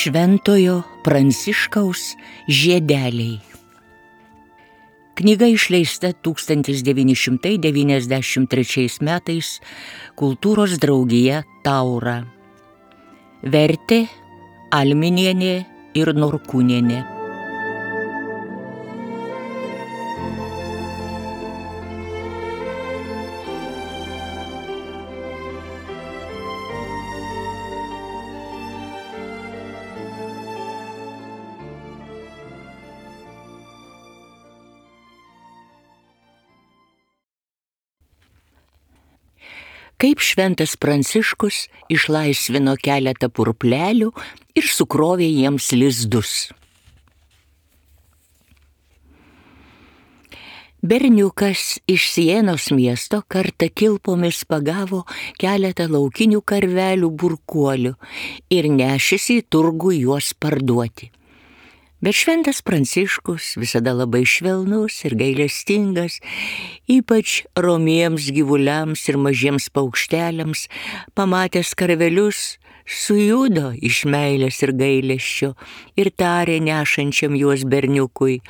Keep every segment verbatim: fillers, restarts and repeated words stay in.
Šventojo Pranciškaus žiedeliai. Knyga išleista tūkstantis devyni šimtai devyniasdešimt trečiais metais Kultūros draugija Taura. Vertė Alminienė ir Norkūnienė. Kaip šventas Pranciškus išlaisvino keletą purplelių ir sukrovė jiems lizdus. Berniukas iš Sienos miesto kartą kilpomis pagavo keletą laukinių karvelių burkuolių ir nešėsi į turgų juos parduoti. Bet šventas Pranciškus, visada labai švelnus ir gailestingas, ypač romiems gyvuliams ir mažiems paukšteliams, pamatęs karvelius, sujudo iš meilės ir gailesčio ir tarė nešančiam juos berniukui: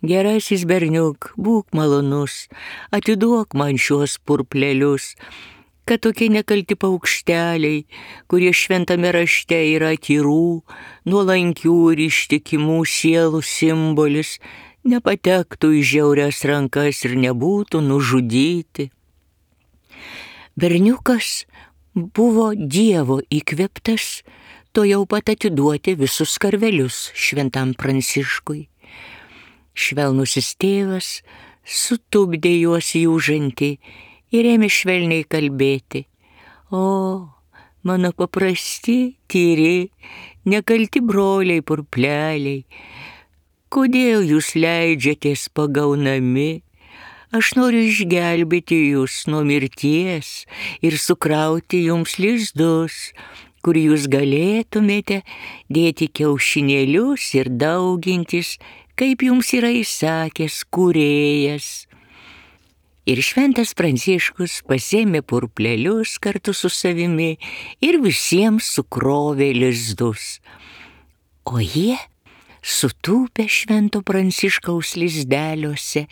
"Gerasis berniuk, būk malonus, atiduok man šiuos purplelius, kad tokie nekalti paukšteliai, kurie šventame rašte yra tyrų, nuolankių ir ištikimų sielų simbolis, nepatektų į žiaurias rankas ir nebūtų nužudyti." Berniukas buvo Dievo įkvėptas, to jau pat atiduoti visus karvelius šventam Pranciškui. Švelnusis tėvas sutupdė juos jūžantį ir ėmė švelniai kalbėti: "O, mano paprasti, tyri, nekalti broliai purpleliai, kodėl jūs leidžiatės pagaunami? Aš noriu išgelbėti jūs nuo mirties ir sukrauti jums lizdus, kur jūs galėtumėte dėti kiaušinėlius ir daugintis, kaip jums yra įsakęs kūrėjas." Ir šventas Pranciškus pasėmė purplelius kartu su savimi ir visiems sukrovė lizdus. O jie, sutūpę švento Pranciškaus lizdeliuose,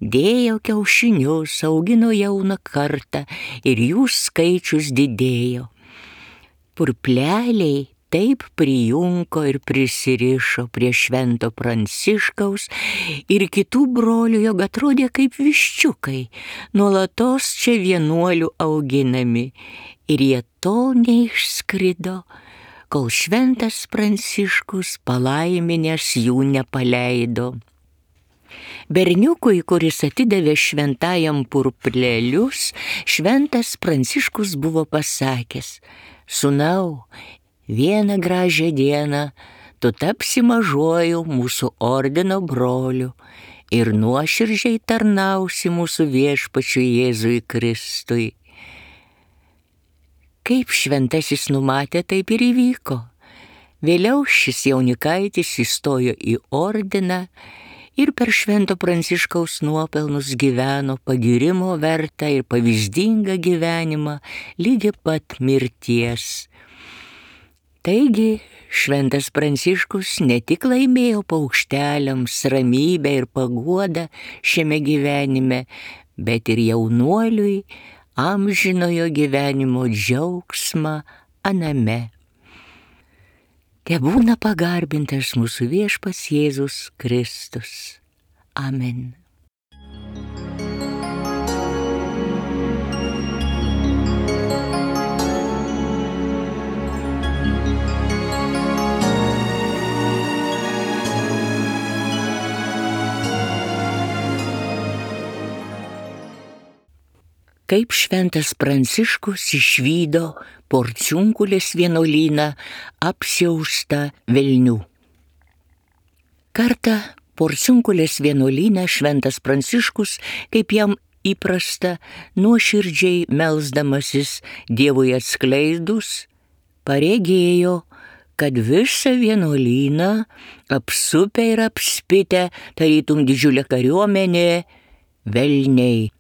dėjo kiaušinius, augino jauną kartą ir jų skaičius didėjo. Purpleliai taip prijunko ir prisirišo prie švento Pranciškaus ir kitų brolių, jog atrodė kaip viščiukai, nuolatos čia vienuolių auginami, ir jie tol neišskrido, kol šventas Pranciškus palaiminęs jų nepaleido. Berniukui, kuris atidavė šventajam purplelius, šventas Pranciškus buvo pasakęs: "Sūnau, vieną gražią dieną tu tapsi mažuoju mūsų ordino broliu ir nuoširdžiai tarnausi mūsų viešpačiui Jėzui Kristui." Kaip šventasis numatė, taip ir įvyko. Vėliau šis jaunikaitis įstojo į ordiną ir per švento Pranciškaus nuopelnus gyveno pagyrimo vertą ir pavyzdingą gyvenimą ligi pat mirties. Taigi, šventas Pranciškus ne tik laimėjo paukšteliams ramybę ir paguodą šiame gyvenime, bet ir jaunuoliui amžinojo gyvenimo džiaugsmą aname. Tebūna pagarbintas mūsų viešpats Jėzus Kristus. Amen. Kaip šventas Pranciškus išvydo Porciunkulės vienuolyną apsiaustą velnių. Kartą Porciunkulės vienuolyne šventas Pranciškus, kaip jam įprasta, nuoširdžiai melsdamasis Dievui atskleidus, paregėjo, kad visą vienuolyną apsupę ir apspitę, tarytum didžiulė kariuomenė, velniai.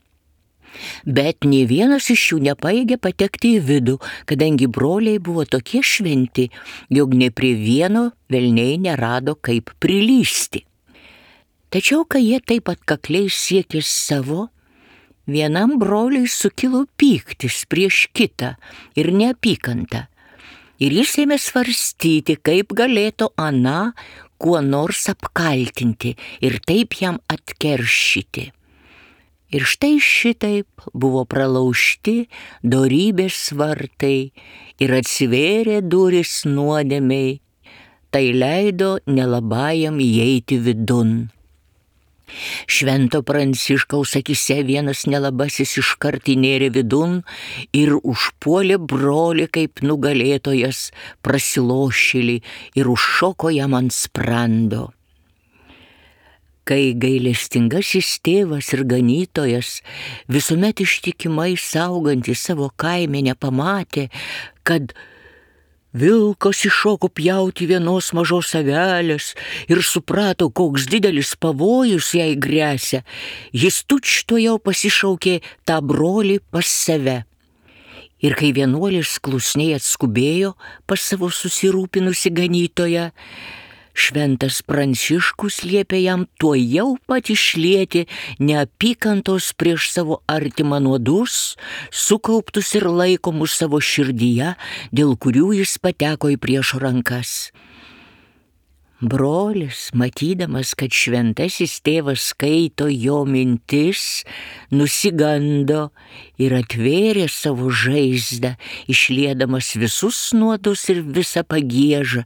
Bet nė vienas iš jų nepaėgė patekti į vidų, kadangi broliai buvo tokie šventi, jog ne prie vieno velniai nerado kaip prilysti. Tačiau, kai jie taip atkakliai siekė savo, vienam broliui sukilo pyktis prieš kitą ir neapykanta. Ir jis ėmė svarstyti, kaip galėtų aną kuo nors apkaltinti ir taip jam atkeršyti. Ir štai šitaip buvo pralaužti dorybės vartai ir atsivėrė durys nuodėmei, tai leido nelabajam įeiti vidun. Švento Pranciškaus akyse vienas nelabasis iškart įnėrė vidun ir užpuolė brolį kaip nugalėtojas prasilošėlį ir užšoko jam ant sprando. Kai gailestingasis tėvas ir ganytojas, visuomet ištikimai saugantis savo kaimenę, pamatė, kad vilkas iššoko pjauti vienos mažos avelės ir suprato, koks didelis pavojus jai gresia, jis tučtuojau pasišaukė tą brolį pas save. Ir kai vienuolis klusniai atskubėjo pas savo susirūpinusi ganytoją, Šventas Pranciškus liepė jam tuojau pat išlieti neapykantos prieš savo artimą nuodus, sukauptus ir laikomus savo širdyje, dėl kurių jis pateko į priešo rankas. Brolis, matydamas, kad šventasis tėvas skaito jo mintis, nusigando ir atvėrė savo žaizdą, išliedamas visus nuodus ir visą pagiežą,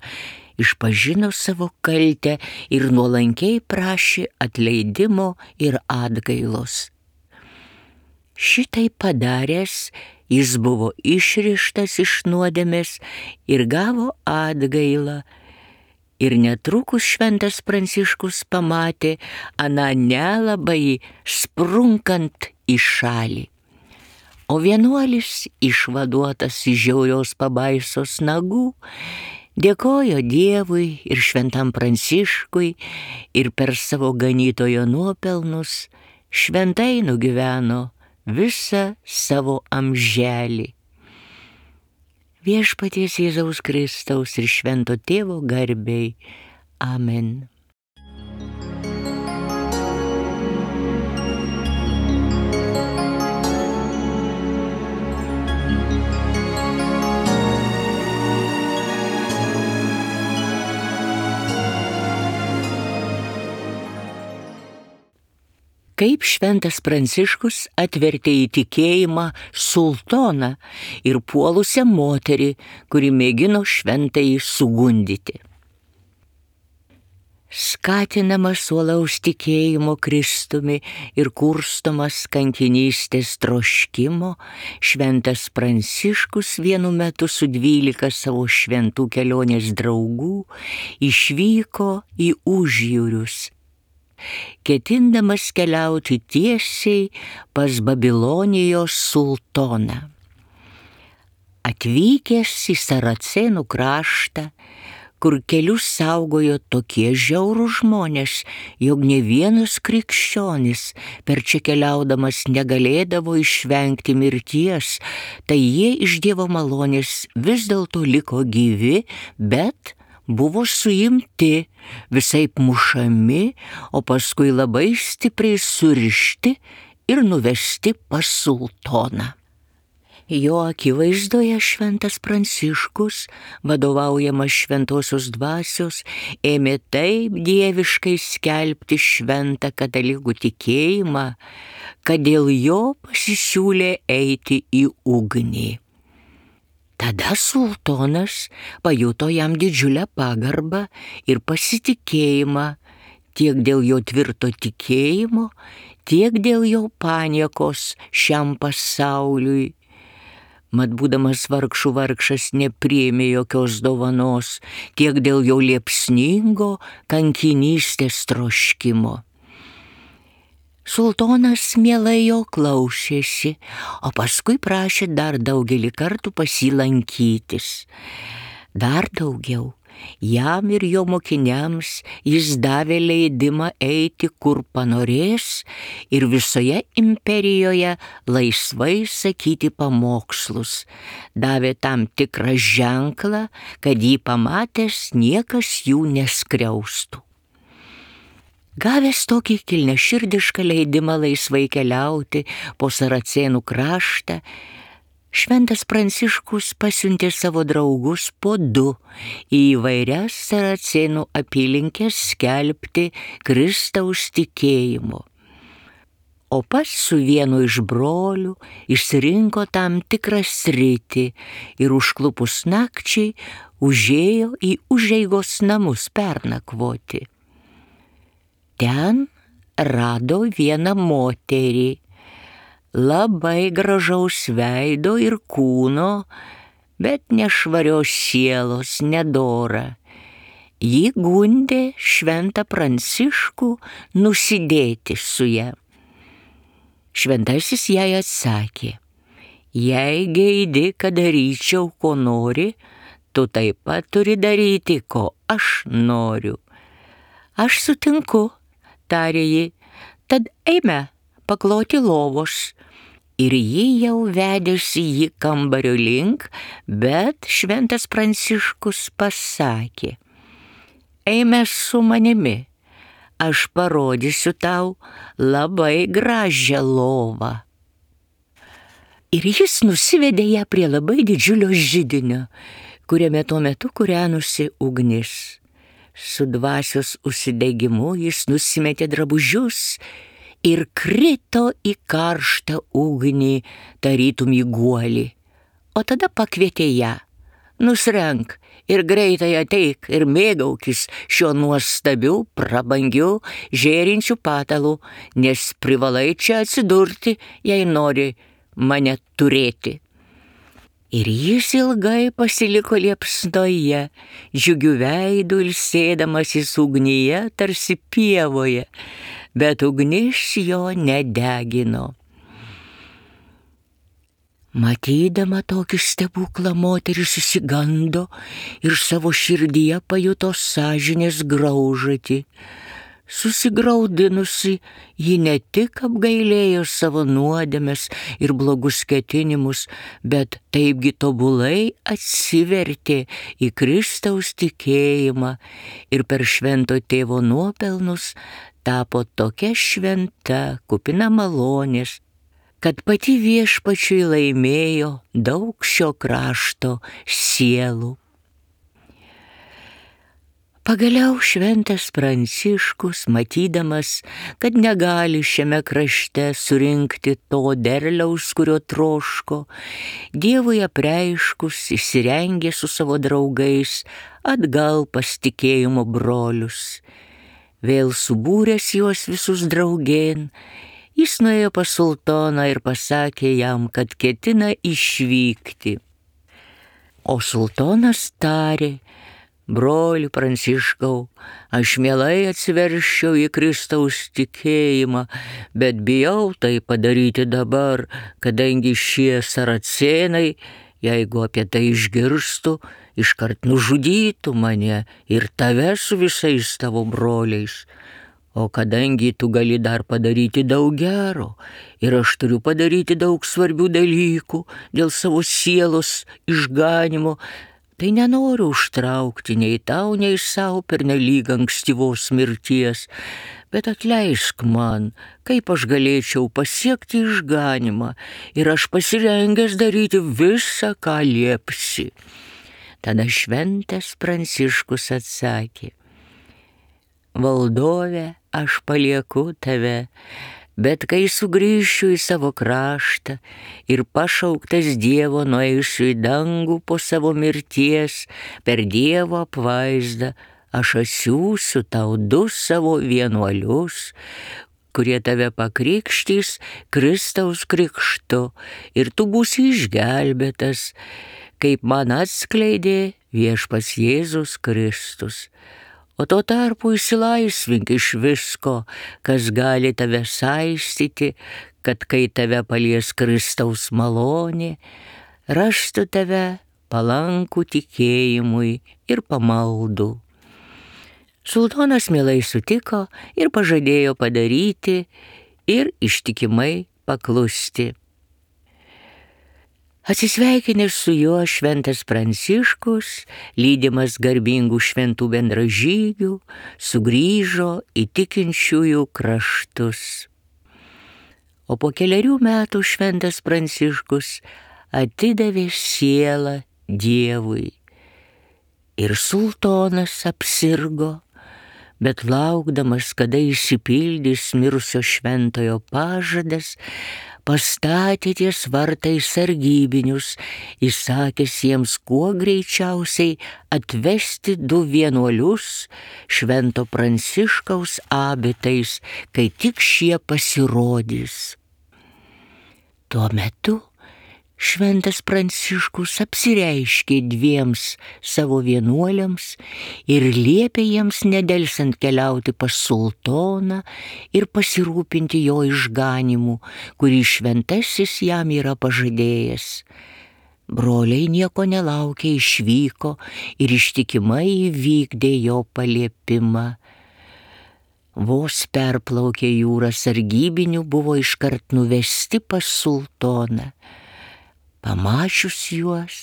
išpažino savo kaltę ir nuolankiai prašė atleidimo ir atgailos. Šitai padaręs, jis buvo išrištas iš nuodėmės ir gavo atgailą. Ir netrukus Šventas Pranciškus pamatė aną nelabai sprunkant į šalį. O vienuolis, išvaduotas iš žiaurios pabaisos nagų, dėkojo Dievui ir Šventam Pranciškui ir per savo ganytojo nuopelnus šventai nugyveno visą savo amželį. Viešpaties Jėzaus Kristaus ir Švento Tėvo garbei. Amen. Kaip Šventas Pranciškus atvertė į tikėjimą sultoną ir puolusią moterį, kuri mėgino šventąjį sugundyti. Skatinamas uolaus tikėjimo Kristumi ir kurstomas kankinystės troškimo, Šventas Pranciškus vienu metu su dvylika savo šventų kelionės draugų išvyko į užjūrius, ketindamas keliauti tiesiai pas Babilonijos sultoną. Atvykęs į Saracėnų kraštą, kur kelius saugojo tokie žiaurūs žmonės, jog ne vienas krikščionis per čia keliaudamas negalėdavo išvengti mirties, tai jie iš Dievo malonės vis dėlto liko gyvi, bet buvo suimti, visaip mušami, o paskui labai stipriai surišti ir nuvesti pas sultoną. Jo akivaizdoje Šventas Pranciškus, vadovaujamas šventosios dvasios, ėmė taip dieviškai skelbti šventą katalikų tikėjimą, kad dėl jo pasisiūlė eiti į ugnį. Tada sultonas pajuto jam didžiulę pagarbą ir pasitikėjimą tiek dėl jo tvirto tikėjimo, tiek dėl jo paniekos šiam pasauliui. Mat būdamas vargšų vargšas nepriėmė jokios dovanos, tiek dėl jo liepsningo kankinystės troškimo. Sultonas mielai jo klausėsi, o paskui prašė dar daugelį kartų pas jį lankytis. Dar daugiau, Jam ir jo mokiniams jis davė leidimą eiti, kur panorės, ir visoje imperijoje laisvai sakyti pamokslus. Davė tam tikrą ženklą, kad jį pamatęs niekas jų neskriaustų. Gavęs tokį kilniaširdišką leidimą laisvai keliauti po Saracėnų kraštą, Šventas Pranciškus pasiuntė savo draugus po du į įvairias Saracėnų apylinkes skelbti Kristaus tikėjimo. O pats su vienu iš brolių išsirinko tam tikrą sritį ir užklupus nakčiai užėjo į užeigos namus pernakvoti. Ten rado vieną moterį, labai gražaus veido ir kūno, bet nešvarios sielos, nedora. Ji gundė Šventą Pranciškų nusidėti su ja. Šventasis jai atsakė: jei geidi, kad daryčiau, ko nori, tu taip pat turi daryti, ko aš noriu. Aš sutinku, tarė ji, tad eime pakloti lovos. Ir ji jau vedėsi jį kambario link, bet Šventas Pranciškus pasakė: eime su manimi, aš parodysiu tau labai gražią lovą. Ir jis nusivedė ją prie labai didžiulio židinio, kuriame tuo metu kūrenosi ugnis. Su dvasios užsidegimu jis nusimetė drabužius ir krito į karštą ugnį, tarytum į guolį. O tada pakvietė ją: nusrenk ir greitai ateik ir mėgaukis šiuo nuostabiu, prabangiu, žėrinčiu patalu, nes privalai čia atsidurti, jei nori mane turėti. Ir jis ilgai pasiliko liepsnoje, džiugiu veidu ilsėdamasis ugnyje, tarsi pievoje, bet ugnis jo nedegino. Matydama tokį stebuklą, moteris išsigando ir savo širdyje pajuto sąžinės graužatį. Susigraudinusi, ji ne tik apgailėjo savo nuodėmes ir blogus ketinimus, bet taipgi tobulai atsivertė į Kristaus tikėjimą ir per Švento Tėvo nuopelnus tapo tokia šventa, kupina malonės, kad pati Viešpačiui laimėjo daug šio krašto sielų. Pagaliau Šventas Pranciškus, matydamas, kad negali šiame krašte surinkti to derliaus, kurio troško, Dievui apreiškus įsirengė su savo draugais atgal pas tikėjimo brolius. Vėl subūręs juos visus draugėn, jis nuėjo pas sultoną ir pasakė jam, kad ketina išvykti. O sultonas tarė: broli Pranciškau, aš mielai atsiverščiau į Kristaus tikėjimą, bet bijau tai padaryti dabar, kadangi šie saracėnai, jeigu apie tai išgirstų, iškart nužudytų mane ir tave su visais tavo broliais. O kadangi tu gali dar padaryti daug gero ir aš turiu padaryti daug svarbių dalykų dėl savo sielos išganimo, tai nenoriu užtraukti nei tau, nei savo pernelyg ankstyvos mirties, bet atleisk man, kaip aš galėčiau pasiekti išganimą, ir aš pasirengęs daryti visą, ką liepsi. Tada Šventas Pranciškus atsakė: valdove, aš palieku tave, bet kai sugrįšiu į savo kraštą ir pašauktas Dievo nueisiu į dangų po savo mirties, per Dievo apvaizdą, aš atsiųsiu tau du savo vienuolius, kurie tave pakrikštys Kristaus krikštu, ir tu būsi išgelbėtas, kaip man atskleidė Viešpats Jėzus Kristus. O tuo tarpu išsilaisvink iš visko, kas gali tave saistyti, kad kai tave palies Kristaus malonė, rastų tave palankų tikėjimui ir pamaldų. Sultonas mielai sutiko ir pažadėjo padaryti ir ištikimai paklusti. Atsisveikinęs su juo šventas Pranciškus, lydimas garbingų šventų bendražygių, sugrįžo į tikinčiųjų kraštus. O po kelerių metų šventas Pranciškus atidavė sielą Dievui. Ir sultonas apsirgo, bet laukdamas, kada išsipildys mirusio šventojo pažadas, pastatė ties vartais sargybinius, įsakęs jiems kuo greičiausiai atvesti du vienuolius švento Pranciškaus abitais, kai tik šie pasirodys. Tuo metu šventas Pranciškus apsireiškė dviems savo vienuoliams ir liepė jiems nedelsiant keliauti pas sultoną ir pasirūpinti jo išganymu, kurį šventasis jam yra pažadėjęs. Broliai nieko nelaukę išvyko ir ištikimai įvykdė jo paliepimą. Vos perplaukė jūrą sargybinių buvo iškart nuvesti pas sultoną. Pamačius juos,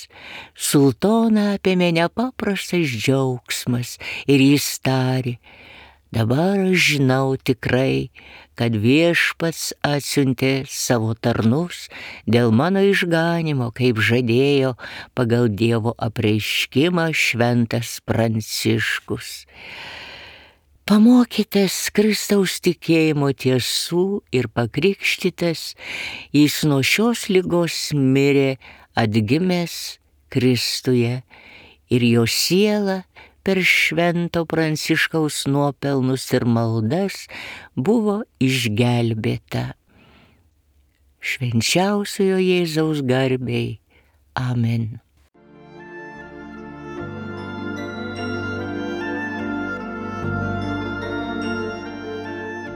sultoną apėmė nepaprastas džiaugsmas ir jis tarė: dabar aš žinau tikrai, kad viešpats atsiuntė savo tarnus dėl mano išganymo, kaip žadėjo pagal Dievo apreiškimą šventas Pranciškus. Pamokytas Kristaus tikėjimo tiesų ir pakrikštytas, jis nuo šios ligos mirė atgimęs Kristuje ir jo siela per švento Pranciškaus nuopelnus ir maldas buvo išgelbėta. Švenčiausiojo Jėzaus garbei. Amen.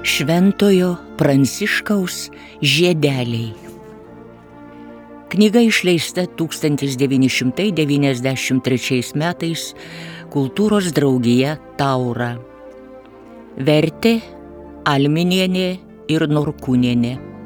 Šventojo Pranciškaus žiedeliai. Knyga išleista tūkstantis devyni šimtai devyniasdešimt trečiais metais Kultūros draugija Taura. Vertė Alminienė ir Norkūnienė.